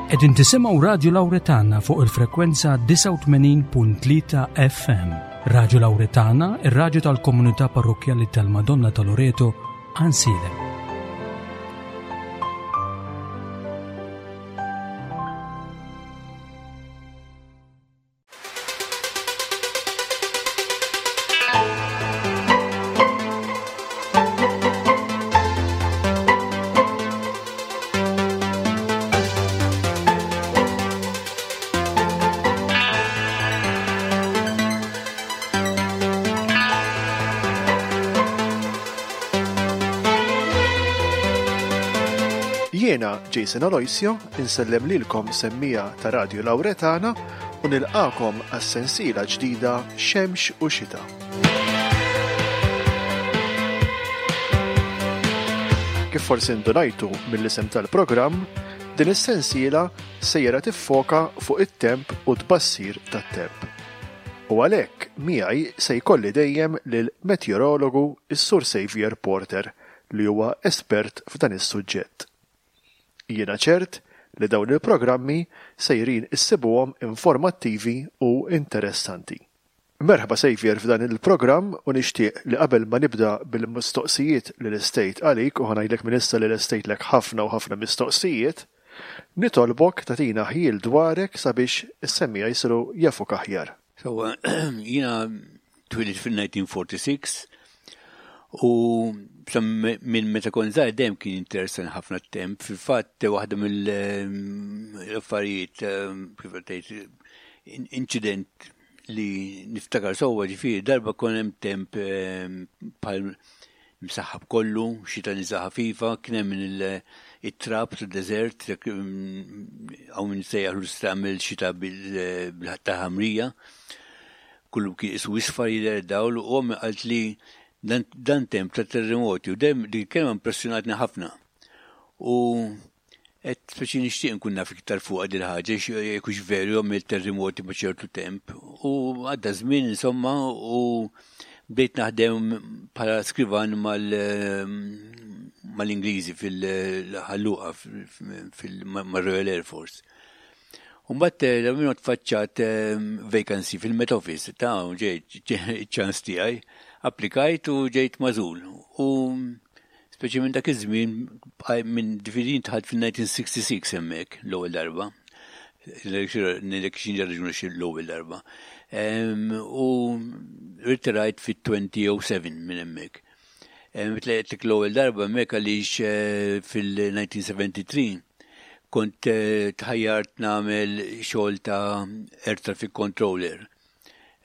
Qegħdin tisimgħu Radju Lawretana fuq il-frekwenza 89.3 FM. Radju Lawretana, ir-radju tal-komunità parrokkjali tal-Madonna ta' Loreto, Ansilem. Jiena Jason Aloisio insellem lilkom semmija ta' Radio Lauretana u nilqakom għas-sensiela ġdida Xemx u Xita. Kif forsi ndunajtu mill-isem tal-programm, din is-sensiela sejra tiffoka fuq it-temp u tbassir tat-temp. U għalhekk miegħi se jkolli dejjem lil meteorologu s-Sur Saviour Porter li huwa espert f'dan is-suġġett. Jiena ċert li dawn il-programmi sejrin issibuhom informattivi u interessanti. Merħba Saviour f'dan il-programm u nixtieq li qabel ma nibda bil-mistoqsijiet li lestejt għalik u ħa ngħidlek minn issa li lestejtlek ħafna u ħafna mistoqsijiet, nitolbok tagħtina ħjiel dwarek sabiex is-semmiegħa jsiru jafuk aħjar. Sewwa, jiena twilidt fil-1946 u minn meta kont żgħir dejjem kien interessani ħafna t-temp. Fil-fatt waħda mill-affarijiet kif tgħid inċident li niftakar sewwa ġifieri darba kien hemm temp bħal msaħħab kollu, xita niża ħafifa, kien hemm it-trab tad-deżert, hawn min sejjaħlu tista' tagħmel xita bil-ħatta ħamrija. Kullu kien isu isfar jidher dawl u ommi qalt li dan temp ta' terremoti u dejjem dik il-kelma impressjonatni ħafna. U Għedt speċi nixtieq nkun naf iktar fuqha dil ħaġa jekk hux veru jagħmel terrimoti ma' ċertu temp. U għadda żmien insomma u bdejt naħdem bħala skrivan mal-Ingliżi fil-ħalluqa fil-Royal Air Force. Umbat eh, minnu tfaċċat eh, vacancy fil-Met Office, ta' ġejt ċans tiegħi, applikajt u ġejt mażul. U Speċi minn dak iż-żmien minn ġifieri dħalt fil-1966 hemmhekk l-ewwel darba. Ngħidlek xi raġuni xi l-ewwel darba. U rtirajt fit-2007 minn hemmhekk. Tlaqtlek l-ewwel darba hemmhekk għaliex eh, fil-1973 kont eh, tħajjart nagħmel xogħol ta' air traffic controller.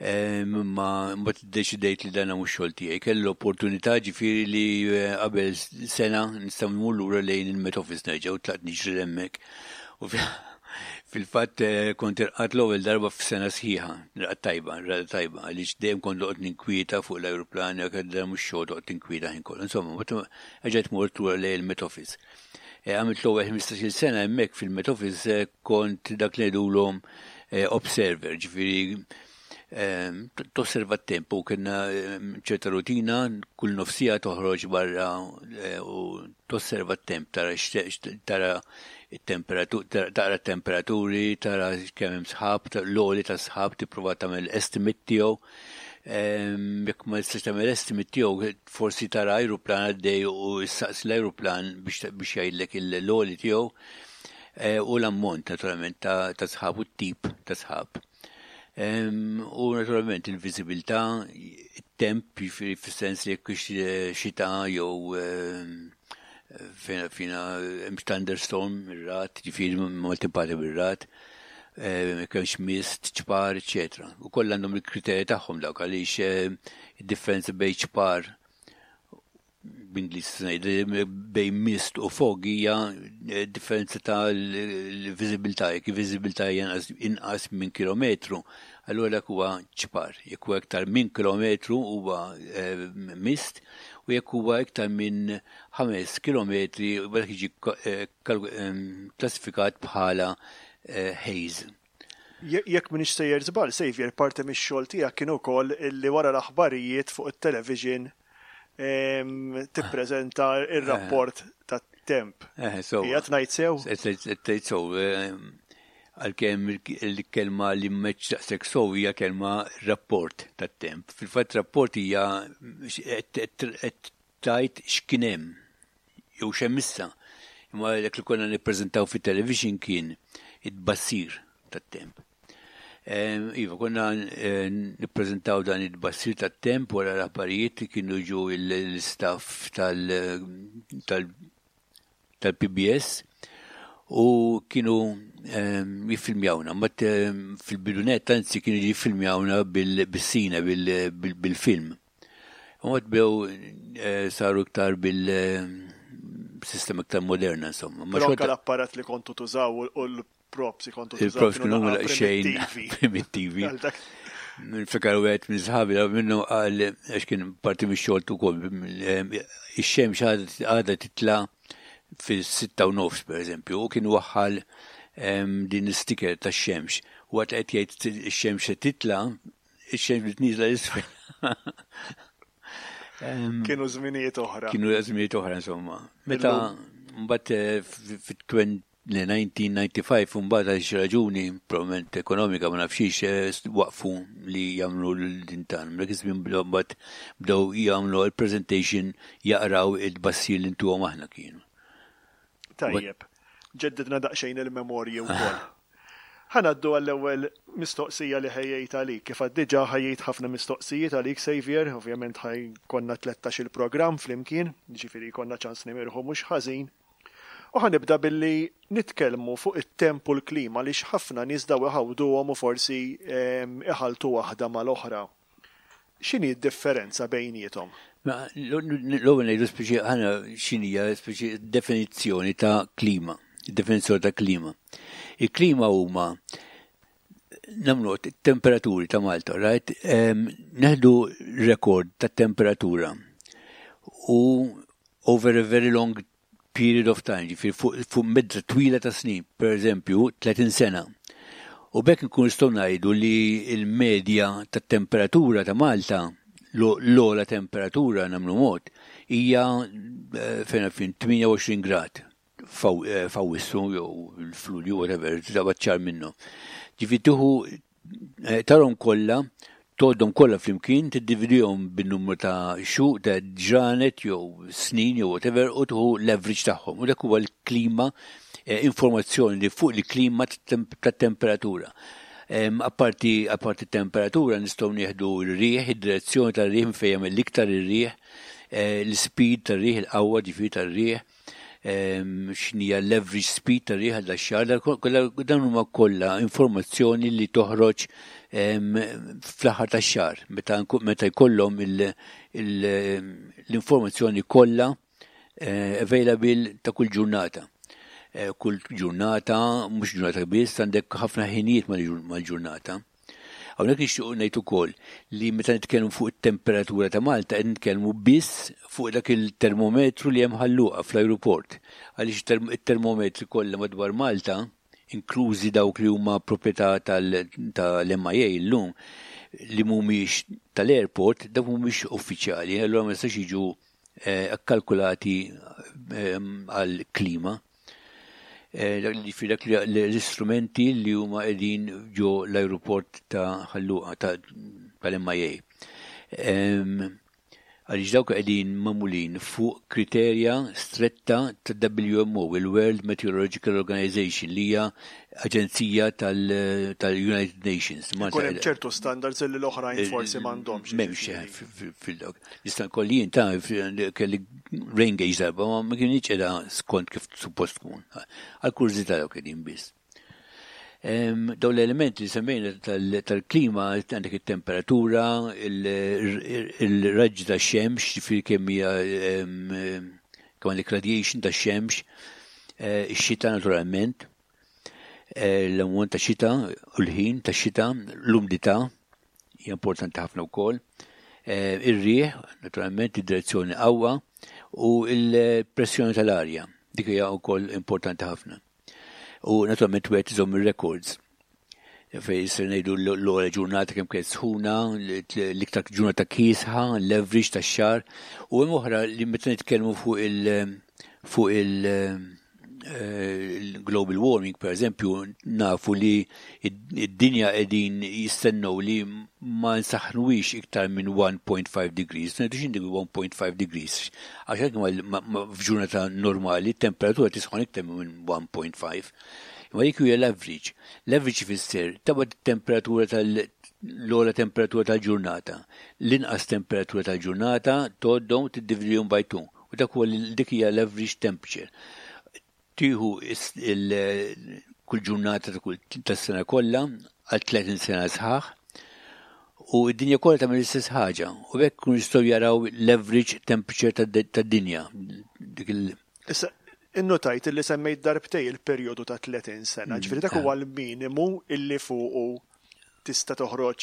Imma mbagħad iddeċidejt li dan mhux xogħol tiegħi. Kelli l-opportunità ġifieri li eh, qabel sena nistgħu nmur lura lejn il-Met Office nerġa' u tlaqt niġri hemmhekk. U fil-fatt eh, kont irqat l-ewwel darba f'sena sħiħa, rqat tajba, rqat tajba, għaliex dejjem kont noqgħod ninkwieta fuq l-ajruplan, jekk dan mhux xogħol toqgħod tinkwieta ħin kollu. Insomma, erġajt mort lura lejn il-Met Office. Eh, għamilt l-ewwel 15-il sena hemmhekk fil-Met Office kont dak li ngħidulhom eh, observer, ġifieri eh, tosserva t-temp u kienna eh, ċerta rutina kull nofsija toħroġ barra u tosserva t-temp tara tara it-temperatura tara temperaturi tara kemm hemm sħab l-għoli ta' sħab tipprova tagħmel estimate tiegħu. Jekk ma tistax tagħmel estimate tiegħu forsi tara ajruplan għaddej u ssaqsi l-ajruplan biex jgħidlek l-għoli tiegħu. Eh, u l-ammont naturalment ta' sħab u t-tip ta' sħab. U naturalment il-viżibilità, it-temp, fis-sens li jekk eh, xita jew eh, fina thunderstorm, ir-rat, ġifieri maltempata bir-rat, kemx mist, ċpar, eċetera. U kollha għandhom il-kriterji tagħhom dawk għaliex id-differenza bejn ċpar b'Ingliż ngħid bejn mist u fog hija eh, differenza ta' l-viżibilità, jekk il-viżibilità hija inqas minn kilometru, allura dak huwa ċpar. Jekk huwa iktar minn kilometru huwa eh, mist u jekk huwa iktar minn 5 kilometri dak jiġi eh, klassifikat bħala haze. Jekk m'iniex sejjer żball, Saviour, parti mix-xogħol tiegħek kien ukoll illi wara l-aħbarijiet fuq it-television tippreżenta r-rapport tat-temp. tat-temp. Eh, so. Qiegħed ngħid sew? Qed tgħid sew. Eh, għalkemm il-kelma li mhux daqshekk sew hija kelma rapport tat-temp. Fil-fatt rapport hija qed tgħid x'kien hemm jew x'hemm issa. Imma dak li konna nippreżentaw fit-television kien it-tbassir tat-temp. Iva, konna eh, nippreżentaw dan it-tbassir tat-temp wara l-aħbarijiet kienu ġu l-istaff tal-PBS u kienu jiffilmjawna. Mat fil-bidunet anzi kienu jiffilmjawna bil-sina, bil-film. U għad bew eh, saru iktar bil-sistema iktar moderna, insomma. Ma anke l-apparat li kontu tużaw u l-props li kontu tużaw. Il-props kienu xejn primittivi. Fikar u għed minn sħabi, minnu għal, għax kien parti mix xogħol ukoll, ix-xemx għadha titla fis-6:30 per eżempju, u kien waħħal din l-sticker tax-xemx. U għat qed jgħid ix-xemx se titla, ix-xemx bdiet nieżla l-isfel. Kienu żminijiet oħra. Kienu żminijiet oħra insomma. Meta mbagħad eh, fit-1995 mbagħad għal xi raġuni, probabbilment ekonomika ma nafxiex, eh, waqfu li jagħmlu l-din tan. Dak iż-żmien mbagħad bdew jagħmlu l-presentation jaqraw il-bassir li ntuhom aħna kienu. Tajjeb. Ġeddidna daqsxejn il-memorji wkoll. Ħa ngħaddu għall-ewwel mistoqsija li ħejjejt għalik. Kif għedt diġà ħejjejt ħafna mistoqsijiet għalik Saviour, ovvjament ħa jkollna tlettax-il programm flimkien, jiġifieri jkollna ċans nimirħu mhux ħażin. U ħa nibda billi nitkellmu fuq it-temp u l-klima għaliex ħafna nies daw iħawduhom u forsi iħalltu waħda mal-oħra. X'inhi d-differenza bejniethom? L-ewwel ngħidu speċi aħna x'inhija speċi definizzjoni ta' klima, definizzjoni ta' klima. Il-klima huma nagħmlu temperaturi ta' Malta, right? Neħdu rekord ta' temperatura u over a very long period of time, ġifieri fuq medda twila ta' snin, per eżempju 30 sena. U b'hekk nkun nistgħu ngħidu li l-medja tat-temperatura ta' Malta, l-ogħla temperatura nagħmlu mod, hija eh, fejn fin 28 grad eh, f'Awwissu jew f'Lulju whatever, ċar minnu. Ġifieri tieħu Eh, tarhom kollha, tgħoddhom kollha flimkien, tiddividihom bin-numru ta' xhur, ta' ġranet jew snin jew whatever u tieħu l-average tagħhom. U dak huwa l-klima, eh, informazzjoni li fuq il-klima tat-temperatura. Apparti apparti temperatura nistgħu nieħdu r-riħ, id-direzzjoni tar-riħ fejn jagħmel l-iktar ir-riħ, eh, l-speed tar-riħ, il-qawwa ġifieri tar-riħ, x'inhija l-average speed tar-riħ għal dax-xahar, dan huma kollha informazzjoni li toħroġ fl-aħħar tax-xahar meta jkollhom l-informazzjoni kollha eh, available ta' kull ġurnata. Eh, kull ġurnata, mhux ġurnata biss, għandek ħafna ħinijiet mal-ġurnata. Hawnhekk nixtiequ ngħid ukoll li meta nitkellmu fuq it-temperatura ta' Malta qed nitkellmu biss fuq dak il-termometru li hemm Ħal Luqa fl-ajruport. Għaliex it-termometri kollha madwar Malta, inklużi dawk li huma proprjetà tal-MIA llum, li mhumiex tal-airport, dawk mhumiex uffiċjali, allura ma jistax jiġu eh, kkalkulati eh, għall-klima. Eh, dak l-istrumenti li huma qegħdin ġo l-ajruport ta' Ħal Luqa tal-MIA. Għaliex dawk qegħdin magħmulin fuq kriterja stretta ta' WMO, il-World Meteorological Organization, li hija aġenzija tal-United Nations. Ikun hemm ċertu standards li l-oħrajn forsi m'għandhomx. M'hemmx fil-dawk. Nista' nkolli jien ta' kelli rain gauge darba ma ma kienx qiegħda skont kif suppost tkun. Għal kurżità dawk qegħdin biss. Dawn l-elementi li semmejna tal-klima għandek it-temperatura, il-raġġi tax-xemx, ġifieri kemm hija kemm għandek radiation tax-xemx, eh, ix-xita naturalment, eh, l-ammont ta' xita u l-ħin ta' xita, l-umdità, hija importanti ħafna wkoll. Eh, ir-riħ, naturalment, id-direzzjoni qawwa u l-pressjoni tal-arja. Dik hija wkoll importanti ħafna. U naturalment wieħed iżomm ir-records fej se ngħidu l-ogħla ġurnata kemm kienet sħuna, l-iktar ġurnata kiesħa, l-average tax-xahar, u hemm oħra li meta nitkellmu fuq il- fuq il-global warming, per eżempju, nafu li id-dinja qegħdin jistennew li ma nsaħnuwix iktar minn 1.5 degrees. Ngħidu x'inhi 1.5 degrees? Għax hekk f'ġurnata normali temperatura tisħon iktar minn 1.5. Imma dik hija l-average. L-average ifisser taqbad temperatura tal-ogħla temperatura tal-ġurnata. L-inqas temperatura tal-ġurnata tgħoddhom tiddividihom by 2. U dak huwa dik hija l-average temperature. Tieħu kull ġurnata tas-sena kollha għal 30 sena sħaħ u d-dinja kollha tagħmel l-istess ħaġa u hekk kun jistgħu jaraw l-average temperature tad-dinja. Dik il Issa, innotajt li semmejt darbtej il-perjodu ta' 30 sena, ġifieri dak huwa l-minimu illi fuqu tista' toħroġ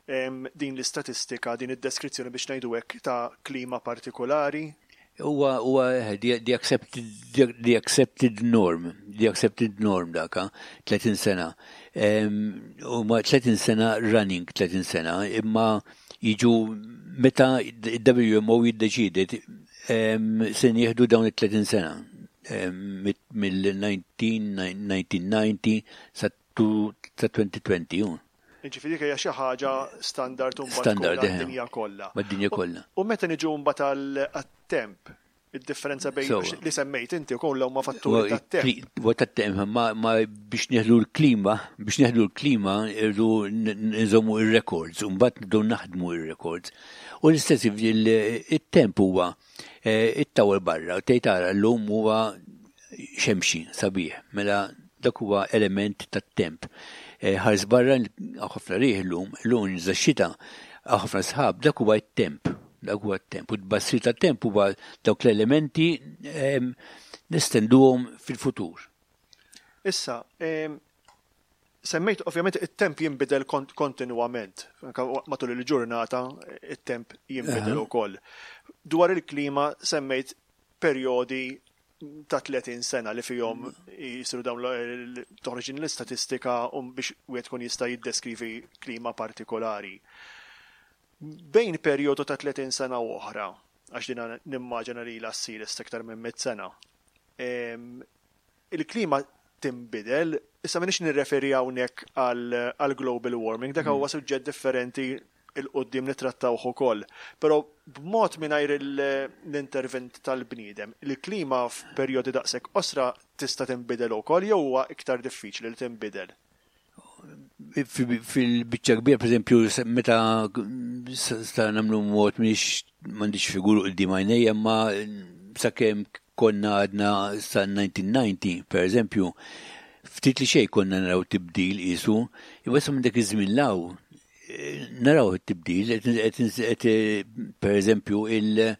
din l-istatistika, din id-deskrizzjoni biex ngħidu hekk ta' klima partikolari. Huwa huwa the accepted the accepted norm, the accepted norm daka, 30 sena. Huma 30 sena running 30 sena, imma jiġu meta il-WMO jiddeċidi se nieħdu dawn it-30 sena mill-1990 sa 2020. Ġifieri hija xi ħaġa standard u standard dinja kollha. Mad-dinja kollha. U meta niġu mbagħad għat-temp, id-differenza bejn li semmejt inti wkoll huma fatturi tat-temp. Huwa tat-temp, ma biex neħlu l-klima, biex neħlu l-klima irdu nżommu ir-records, u mbagħad nibdew naħdmu ir-records. U l-istess it-temp huwa it-tawel barra, tgħid tara llum huwa xemxi sabiħ, mela dak huwa element tat-temp. Ħares barra ħafna riħ illum, illum nża xita, ħafna sħab, dak huwa t-temp. Dak huwa t-temp. U t-tbassir tat-temp huwa dawk l-elementi nestenduhom fil-futur. Issa, semmejt ovvjament it-temp jinbidel kontinwament, matul il-ġurnata it-temp jinbidel ukoll. Dwar il-klima semmejt perjodi ta' 30 sena li fihom jisiru dawn toħroġ din l-istatistika u biex wieħed kun jista' jiddeskrivi klima partikolari. Bejn perjodu ta' 30 sena u oħra, għax dina nimmaġina li la ssir issa iktar minn 100 sena, il-klima tinbidel, issa m'iniex nirreferi hawnhekk għal global warming, dak huwa suġġett differenti 'il quddiem nittrattawh ukoll. Però b'mod mingħajr l-intervent tal-bniedem, il-klima f'perjodi daqshekk qosra tista' tinbidel ukoll jew huwa iktar diffiċli li tinbidel? Fil-biċċa kbira, per eżempju, meta sta nagħmlu mod mhix m'għandix figuru quddiem għajnejja, imma sakemm konna għadna sa 1990, per eżempju, ftit li xejn konna naraw tibdil qisu, imma issa minn dak iż-żmien law naraw it-tibdil, per eżempju, il-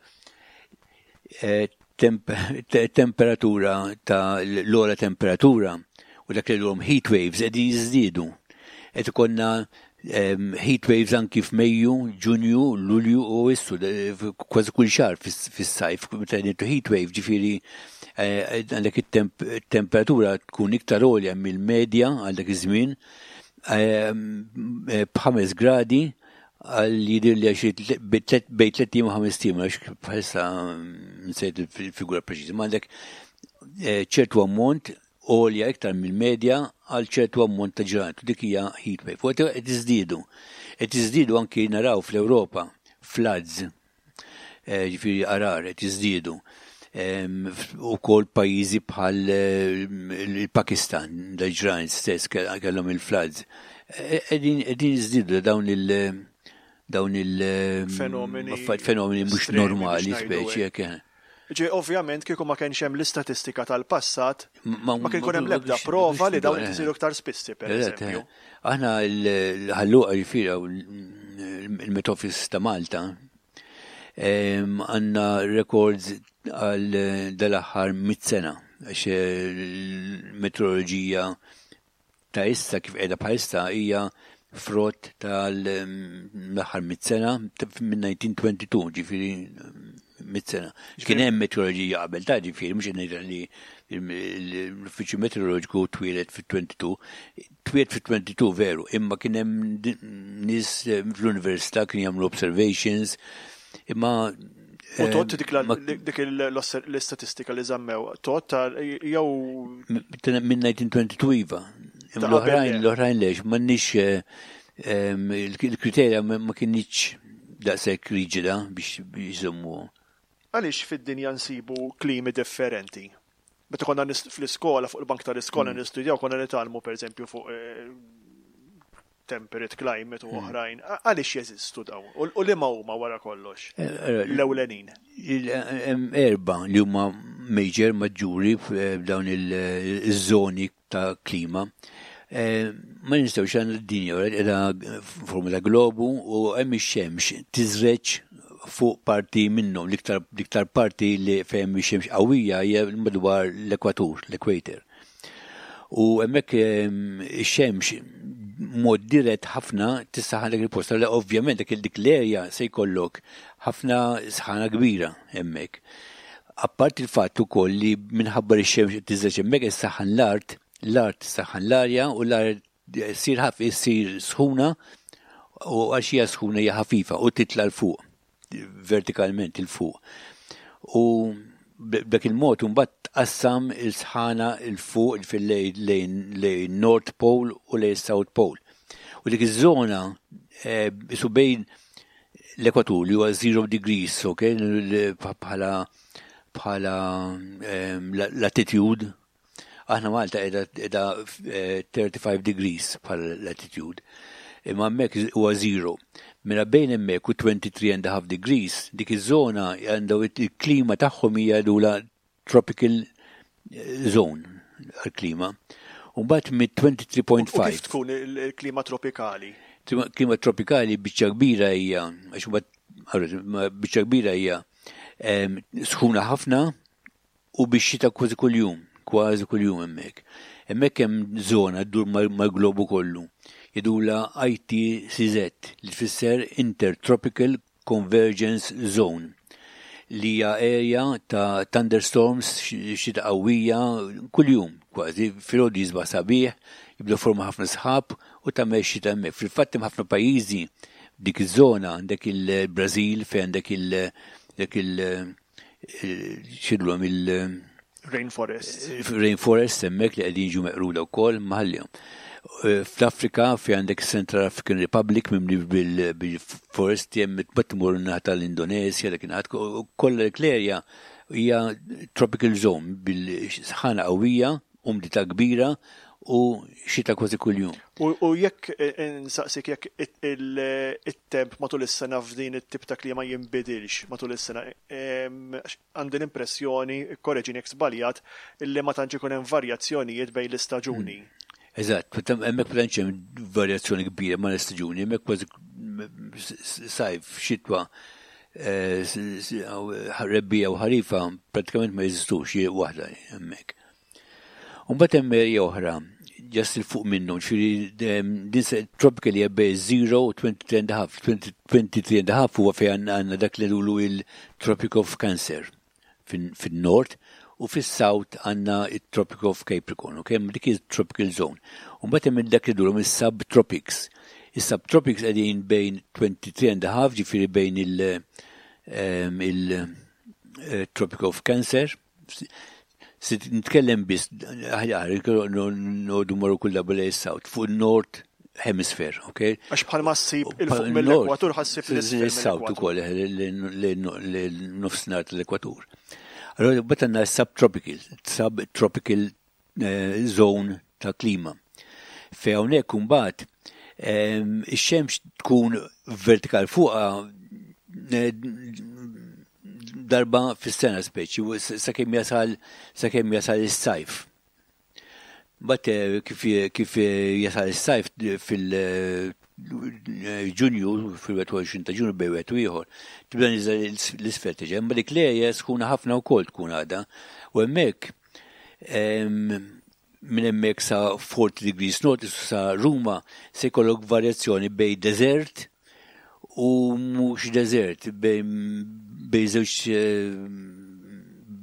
temperatura ta' l-ogħla temperatura u dak li l heat waves qegħdin jiżdiedu. Qed ikollna heat waves anki f'Mejju, Ġunju, Lulju u Awwissu, kważi kull xahar fis-sajf, meta ngħidu heat wave ġifieri għandek it-temperatura tkun iktar għolja mill-medja għal dak iż-żmien b'ħames gradi għal jidir li għax bejn 3 u 5 tim, għax bħalissa nsejt il-figura preċiża, ma għandek ċertu ammont għolja iktar mill-medja għal ċertu ammont ta' ġranet, u dik hija heat wave. U qed iżdiedu. Qed iżdiedu anki naraw fl-Ewropa floods, ġifieri għarar qed jiżdiedu. Ukoll pajjiżi bħal il-Pakistan, dal-ġranet stess kellhom il-floods. Qegħdin jiżdiedu dawn il- dawn il- Fenomeni fenomeni mhux normali speċi hekk. Ġi, ovvjament, kieku ma kienx hemm l-istatistika tal-passat, ma kien ikun hemm l-ebda prova li dawn qed isiru iktar spissi, per eżempju. Aħna Ħal Luqa ġifieri il-Met Office ta' Malta għandna records għal dal-aħħar 100 sena għax il-metroloġija ta' issa kif qiegħda bħalissa hija frott tal-aħħar 100 sena minn 1922, ġifieri 100 sena. Kien hemm meteoroloġija qabel ta' ġifieri mhux ngħid li l-uffiċċju meteoroloġiku twieled fit-22, twieled fit-22 veru, imma kien hemm nies fl-università kien jagħmlu observations, imma U tot dik l-istatistika li żammew, tot jew. Minn 1922 iva. L-oħrajn, l-oħrajn lex, m'għandniex eh, il-kriterja ma kinitx daqshekk riġida biex jżommu. Għaliex fid-dinja nsibu klimi differenti? Meta konna fl-iskola, fuq il-bank tal-iskola nistudjaw, konna nitgħallmu pereżempju fuq eh, temperate climate u oħrajn. Għaliex jeżistu dawn? U liema huma wara kollox? Eh, eh, L-ewlenin. Erba li huma major maġġuri f'dawn il-żoni ta' klima. Eh, ma nistgħux għandna d-dinja qiegħda forma ta' globu u hemm ix-xemx tiżreġ fuq parti minnhom, l-iktar parti li fejn ix-xemx qawwija hija madwar l-ekwatur, l-equator. U hemmhekk ix-xemx mod dirett ħafna tissaħan dak il-post. Allora ovvjament dak dik l-erja se jkollok ħafna sħana kbira hemmhekk. Apparti il-fatt ukoll li minħabba li x-xemx tiżreġ hemmhekk issaħħan l-art, l-art tissaħħan l-arja u l-arja ssir ħaf issir sħuna u għax hija sħuna hija ħafifa u titla' 'l fuq vertikalment 'il fuq. U b'dak il-mod imbagħad tqassam il-sħana 'l fuq lejn lejn North Pole u lejn South Pole. U dik iż-żona eh, isu bejn l-ekwatur li huwa 0 degrees, ok, bħala bħala ehm, latitude Aħna Malta qiegħda 35 eh, degrees bħala latitude. Imma hemmhekk huwa zero. Mela bejn hemmhekk u 23 and a half degrees, dik iż-żona għandhom il-klima tagħhom hija dula tropical eh, zone għal-klima. U mbagħad mit-23.5. Kif tkun il-klima tropikali? Klima tropikali biċċa kbira hija, għax mbagħad biċċa kbira hija sħuna ħafna U bix-xita kważi kuljum, kważi kuljum hemmhekk. Hemmhekk hemm żona ddur mal-globu kollu. Jgħidulha ITCZ li tfisser Intertropical Convergence Zone li hija area ta' thunderstorms, xita qawwija kuljum kważi. Filgħodu jisbaħ sabiħ, jibda forma ħafna sħab u tagħmel xita hemmhekk. Fil-fatt hemm ħafna pajjiżi f'dik iż-żona, għandek il-Brażil fejn għandek il- dak il- xidlhom il- Rainforest. Rainforest hemmhekk li qegħdin jiġu meqruda wkoll maħallihom. Eh, Fl-Afrika fi għandek Central African Republic mimli bil-foresti hemm tmur naħa tal-Indonesja dak ingħad kollha l-erja hija tropical zone bil-sħana qawwija, umdità kbira u xita kważi kuljum. U jekk eh, insaqsik jekk it-temp matul is-sena f'din it-tip ta' klima jinbidilx matul is-sena, għandi l-impressjoni, korreġini jekk żbaljat, illi ma tantx ikun hemm varjazzjonijiet bejn l-istaġuni. Hmm. Eżatt, hemmhekk ma tantx hemm varjazzjoni kbira ma' l-istaġuni, hemmhekk kważi sajf, xitwa, eh, rebbija u ħarifa pratikament ma jeżistux waħda hemmhekk. U mbagħad hemm area oħra just il fuq minnhom, ġifieri din se tropical hija bejn 0 u 23 and a half. 23 and a half huwa fejn għandna dak li nulu il-Tropic of Cancer fin-nord u fis-south għandna it-Tropic of Capricorn, ok? Dik il-tropical zone. U mbagħad hemm dak li dulhom is-subtropics. Is-subtropics qegħdin bejn 23 and a half, ġifieri bejn il- il-Tropic of Cancer Se nitkellem biss, aħjar, nodu morru kull darba lejn south, fuq il-North Hemisphere, ok? Għax bħal ma ssib il-fuq mill-ekwatur ħassib l-south ukoll, l-nofsinhar tal-ekwatur. Allora, bat għandna subtropical, subtropical eh, zone ta' klima. Fej hawnhekk imbagħad ehm, ix-xemx tkun vertikal fuqha eh, darba fis-sena speċi, sakemm jasal sakemm jasal is-sajf. Bat eh, kif, kif jasal is-sajf fil Ġunju, fil-21 ta' Ġunju bejn wieħed u ieħor, tibda niżel l-isfel tiġi. Imma dik l-area sħuna ħafna wkoll tkun għadha. U hemmhekk minn hemmhekk sa 40 degrees north sa Ruma se jkollok varjazzjoni bejn desert u mhux desert bejn żewġ eh,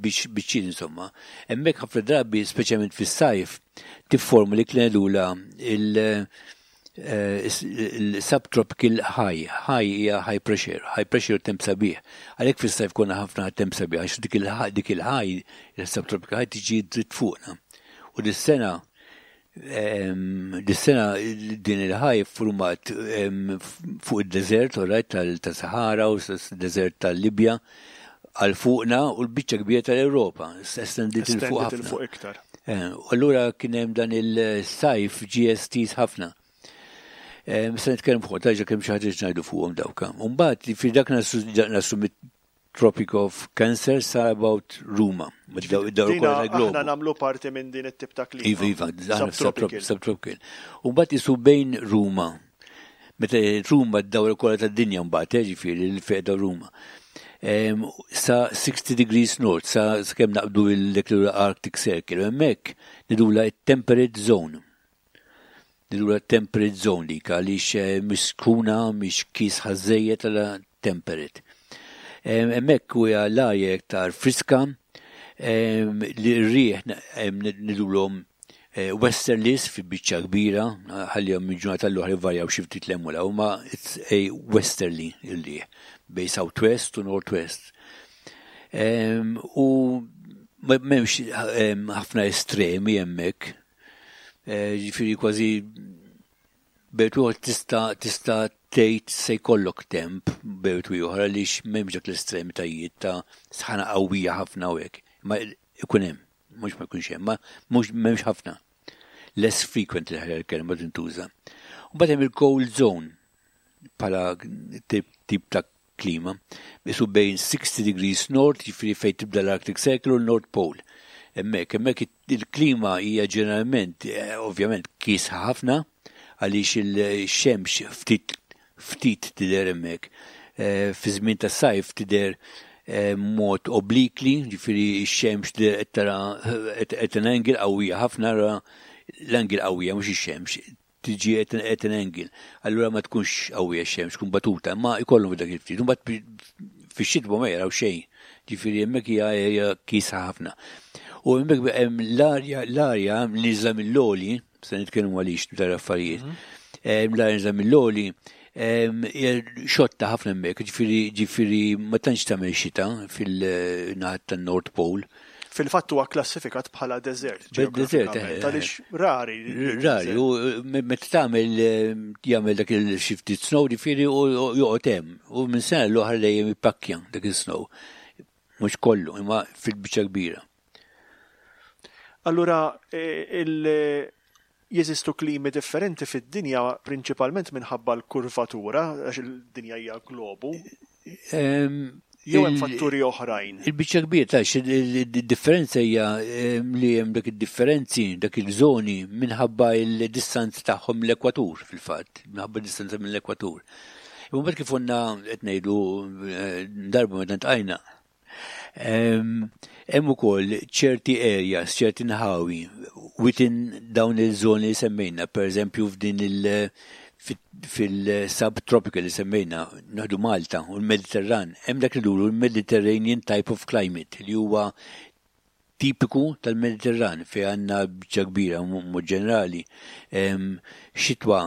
biċċin insomma. Hemmhekk ħafna drabi, speċjalment fis-sajf, tifforma li kien il- Il-subtropical high, high hija high pressure, high pressure temp sabiħ. Għalhekk fis-sajf konna ħafna temp sabiħ għax dik il-high, il-subtropical high tiġi dritt fuqna. U dis-sena dis-sena din il-high format fuq id-deżert, right, tal-Sahara u s-deżert tal-Libja għal fuqna u l-biċċa kbira tal-Ewropa, estendiet il fuq iktar. U allura kien hemm dan il-sajf GSTs ħafna. Se nitkellem fuq, taġa kemm xi ħaġa ngħidu fuqhom dawka. Mbagħad fi dak nasu Tropic of Cancer sa about Ruma. Aħna nagħmlu parti minn din it-tip ta' klima. Iva, iva, subtropical. Subtropical. U mbagħad isu bejn Ruma. Meta Ruma d-dawra kollha tad-dinja mbagħad, ġifieri l-feqda Ruma. Sa 60 degrees north, sa kemm naqbdu l-Arctic Circle, hemmhekk nidula temperate zone. Nidula temperate zone dik għaliex mhix sħuna, mhix kiesħa żejjed għala temperate. Hemmhekk huwa l-arja iktar friska, li r-riħ nidulhom westerlies fi biċċa kbira, ħallihom minn ġurnata l-oħra jvarjaw xi ftit 'l hemm u 'l hawn, ma it's a westerly ir-riħ bejn southwest u northwest. U m'hemmx ħafna estremi hemmhekk. Ġifieri kważi bejt ieħor tista' tgħid se jkollok temp bejt ieħor għaliex m'hemmx dak l-estremitajiet ta' sħana qawwija ħafna u hekk. Ma ikun hemm, mhux ma jkunx hemm, ma mhux m'hemmx ħafna. Less frequent l kelma tintuża. U mbagħad hemm il-cold zone bħala tip ta' klima. Bisu bejn 60 degrees north, jiġifieri fejn tibda l-Arctic Circle u l-North Pole. Hemmhekk il-klima hija ġeneralment, ovvjament, kiesħa ħafna, għaliex il-xemx ftit ftit tidher hemmhekk. Fi żmien tas-sajf tidher mod obliquely, ġifieri x-xemx tidher qed tara at an angle qawwija ħafna, l-angle qawwija mhux ix-xemx, tiġi at an angle. Allura ma tkunx qawwija x-xemx, tkun batuta, ma jkollhom dak il-ftit. Mbagħad fix-xitwa ma jaraw xejn. Ġifieri hemmhekk hija area kiesħa ħafna. U hemmhekk hemm l-arja nieżla mill-għoli, se nitkellmu għaliex dwar affarijiet. L-arja nieżla mill-għoli xotta ħafna hemmhekk, ġifieri ma tantx tagħmel xita fil-naħat tan-North Pole. Fil-fatt huwa klassifikat bħala desert. Desert, Għaliex rari. Rari, u meta tagħmel jagħmel dak il-xi ftit snow, ġifieri u joqgħod hemm. U minn sena l-oħra dejjem jippakkja dak il-snow. Mhux kollu, imma fil-biċċa kbira. Allura jeżistu klimi differenti fid-dinja prinċipalment minħabba l-kurvatura, għax il-dinja hija globu. Jew hemm fatturi oħrajn. Il-biċċa kbira ta' il-differenza hija li hemm dak id-differenzi, dak il-żoni minħabba il-distanza tagħhom mill-ekwatur fil-fatt, minħabba distanza mill-ekwatur. Imma mbagħad kif konna qed ngħidu darba meta ntqajna, hemm ukoll ċerti areas, ċerti nħawi within dawn il-żoni li semmejna, per eżempju f'din fil-subtropical li semmejna, naħdu Malta u l-Mediterran, hemm dak li duru l-Mediterranean type of climate li huwa tipiku tal-Mediterran fejn għandna biċċa kbira mod ġenerali xitwa,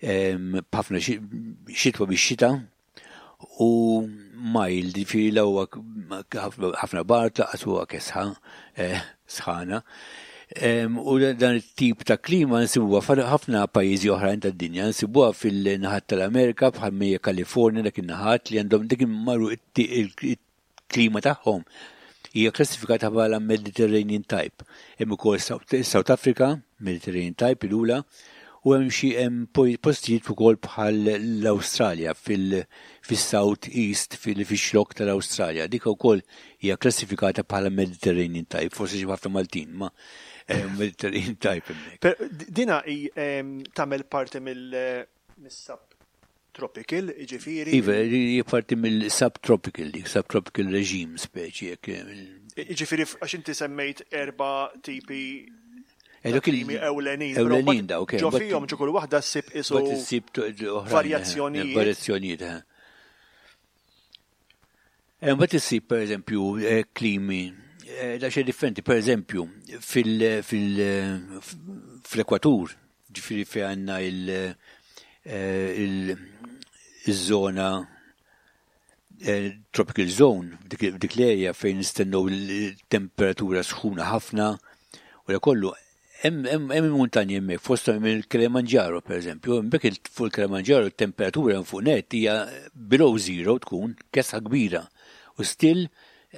ħafna xitwa bix xita u mild, ġifieri la huwa ħafna bard lanqas huwa kesħa, sħana. U dan it-tip ta' klima nsibuha ħafna pajjiżi oħrajn tad-dinja, nsibuha fil-naħat tal-Amerika bħal mija Kalifornja, dak in-naħat li għandhom dik marru il-klima tagħhom hija klassifikata bħala Mediterranean type. Hemm ukoll South Africa, Mediterranean type il-ula, u hemm xi hemm postijiet ukoll bħal l-Awstralja fis-South East, fix-xlokk tal-Awstralja. Dik ukoll hija klassifikata bħala Mediterranean type, forsi xi ħafna Maltin, ma Mediterranean type hemmhekk. Dina hi tagħmel parti mill-subtropical, jiġifieri? Iva, hija parti mill-subtropical, dik subtropical regime speċi jekk. Jiġifieri għax inti semmejt erba' tipi Dak klimi ewlenin. Ewlenin dawk, Ġo fihom ġo kull waħda ssib isu Bat issib oħrajn, varjazzjonijiet. Varjazzjonijiet. Mbagħad issib pereżempju klimi da xejn differenti, pereżempju fl-ekwatur, ġifieri fejn għandna il-żona tropical zone, dik l-area fejn nistennew il-temperatura sħuna ħafna u da kollu hemm il-muntanji hemmhekk fosthom hemm il-Kilimanjaro pereżempju, hemmhekk fuq il-Kilimanjaro t-temperatura hemm fuq net hija below zero tkun kesħa kbira u still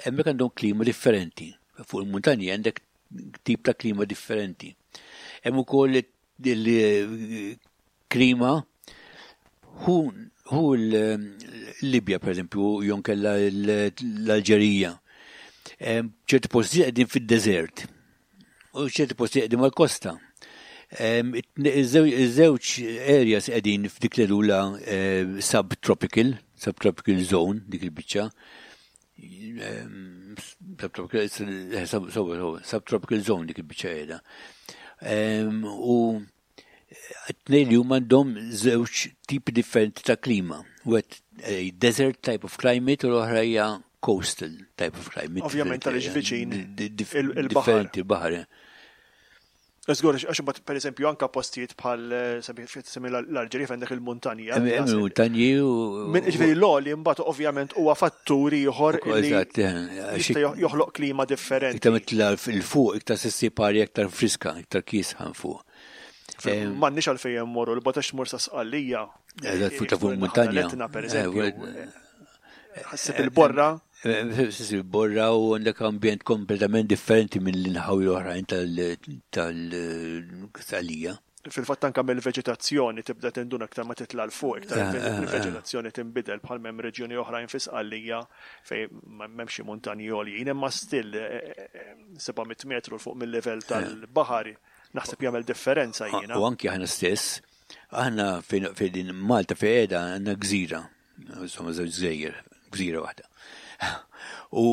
hemmhekk għandhom klima differenti. Fuq il-muntanji għandek tip ta' klima differenti. Hemm ukoll il-klima hu hu l-Libja pereżempju jew inkella l-Alġerija. Ċerti postijiet qegħdin fid-deżert u ċerti postijiet qegħdin mal-kosta. Iż-żewġ areas qegħdin f'dik li lula subtropical, subtropical zone dik il-biċċa. Subtropical zone dik il-biċċa qiegħda. U t-tnejn li huma għandhom żewġ tipi differenti ta' klima. Wet eh, desert type of climate u l-oħra hija coastal type of climate. Ovvjament għaliex viċin il-baħar. Differenti il-baħar. Żgur, għax imbagħad pereżempju anke postijiet bħal semmi l-Alġerija fejn dak il-muntanja. Hemm il-muntanji u. Ġifieri l-għoli mbagħad ovvjament huwa fattur ieħor li jista' joħloq klima differenti. Iktar mitla il fuq iktar se ssib arja iktar friska, iktar kiesħa fuq. M'għandniex għalfejn immorru l bogħod għax tmur sa Sqallija. Eżatt fuq ta' fuq il-muntanja. Pereżempju. Ħassib il-borra. Ħassib il-borra u għandek ambjent kompletament differenti minn l-inħawi l-oħrajn tal-Sqallija. Fil-fatt anke mill-veġetazzjoni tibda tinduna aktar ma titla' 'l fuq, iktar il-veġetazzjoni tinbidel bħal m'hemm reġjuni oħrajn fi Sqallija fejn m'hemmx xi muntanji għoljin, imma still 700 metru 'l fuq mil-livell tal-baħar naħseb jagħmel differenza jiena. U anki aħna stess, aħna fejn Malta fejn qiegħda għandna gżira. Insomma, żewġ gżejjer, gżira waħda. U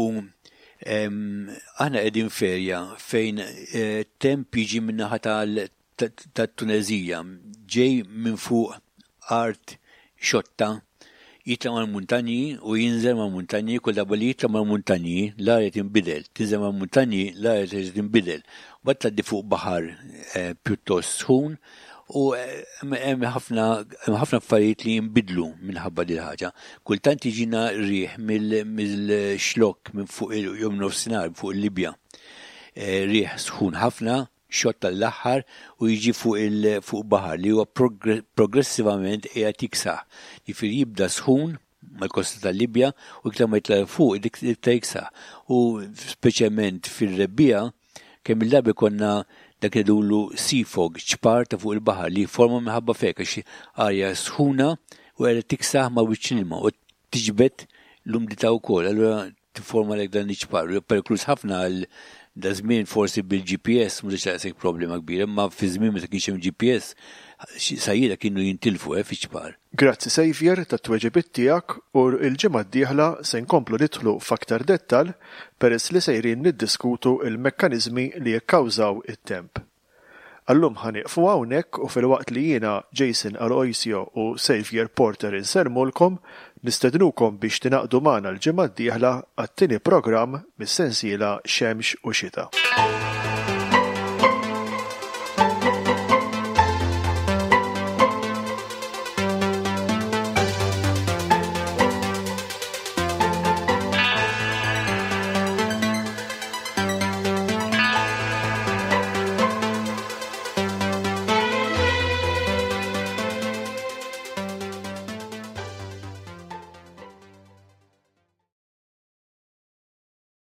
aħna qegħdin ferja fejn eh, temp jiġi min-naħa tat-Tunezija, ġej minn fuq art xotta, jitla' mal-muntanji u jinżel mal-muntanji, kull darba li jitla' mal-muntanji, l-arja tinbidel, tinżel mal-muntanji, l-arja terġa' tinbidel. Mbagħad tgħaddi fuq baħar eh, pjuttost sħun U hemm ħafna hemm ħafna affarijiet li jinbidlu minħabba din ħaġa. Kultant jiġina riħ mill-xlokk minn fuq jew nofsinhar fuq il-Libja. Eh, riħ sħun ħafna, xott tal-aħħar u jiġi fuq il fuq baħar li huwa progressivament qiegħed jiksaħ. Jiġifieri jibda sħun mal-kosta tal-Libja u iktar ma jitla' fuq dik iktar jiksaħ. U speċjalment fir-rebbiegħa kemm il-darba jkollna dak li ngħidulu sea fog, ċpar ta' fuq il-baħar li jifforma minħabba f'hekk għax arja sħuna u qiegħda tiksaħ ma' wiċċ l-ilma u tiġbed l-umdità wkoll. Allura tifformalek dan iċ-ċpar. Perikluż ħafna għal da żmien forsi bil-GPS mhux daqshekk problema kbira, imma fi żmien meta kienx hemm GPS sajjieda kienu jintilfu eh, fiċ-ċpar. Grazzi Saviour tat-tweġibiet tiegħek u l-ġimgħa d-dieħla se nkomplu nidħlu f'aktar dettall peress li sejrin niddiskutu l-mekkaniżmi li jikkawżaw it-temp. Għal-lum ħa nieqfu hawnhekk u filwaqt li jiena, Jason Aloisio u Saviour Porter insellmulkom, nistednukom biex tingħaqdu magħna l-ġimgħa d-dieħla għat-tieni programm mis-sensiela Xemx u Xita.